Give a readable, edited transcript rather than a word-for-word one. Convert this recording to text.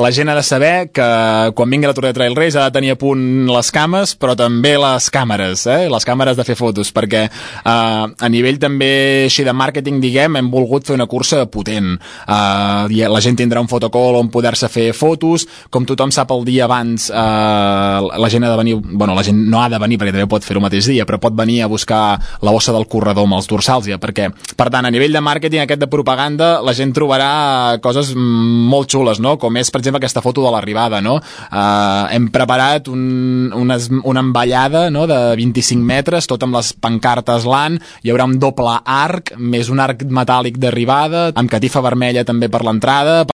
La gent ha de saber que quan vingui la Tour de Trail Race ha de tenir a punt les cames, però també les càmeres, les càmeres de fer fotos, perquè a nivell també així de màrqueting, diguem, hem volgut fer una cursa potent. La gent tindrà un fotocall on poder-se fer fotos, com tothom sap el dia abans la gent ha de venir, bueno, la gent no ha de venir perquè també pot fer el mateix dia, però pot venir a buscar la bossa del corredor amb els dorsals ja, perquè, per tant, a nivell de màrqueting aquest de propaganda, la gent trobarà coses molt xules, no? Com és, per exemple, aquesta foto de l'arribada, no? Hem preparat una envallada, no?, de 25 metres, tot amb les pancartes LAN, hi haurà un doble arc, més un arc metàl·lic d'arribada, amb catifa vermella també per l'entrada,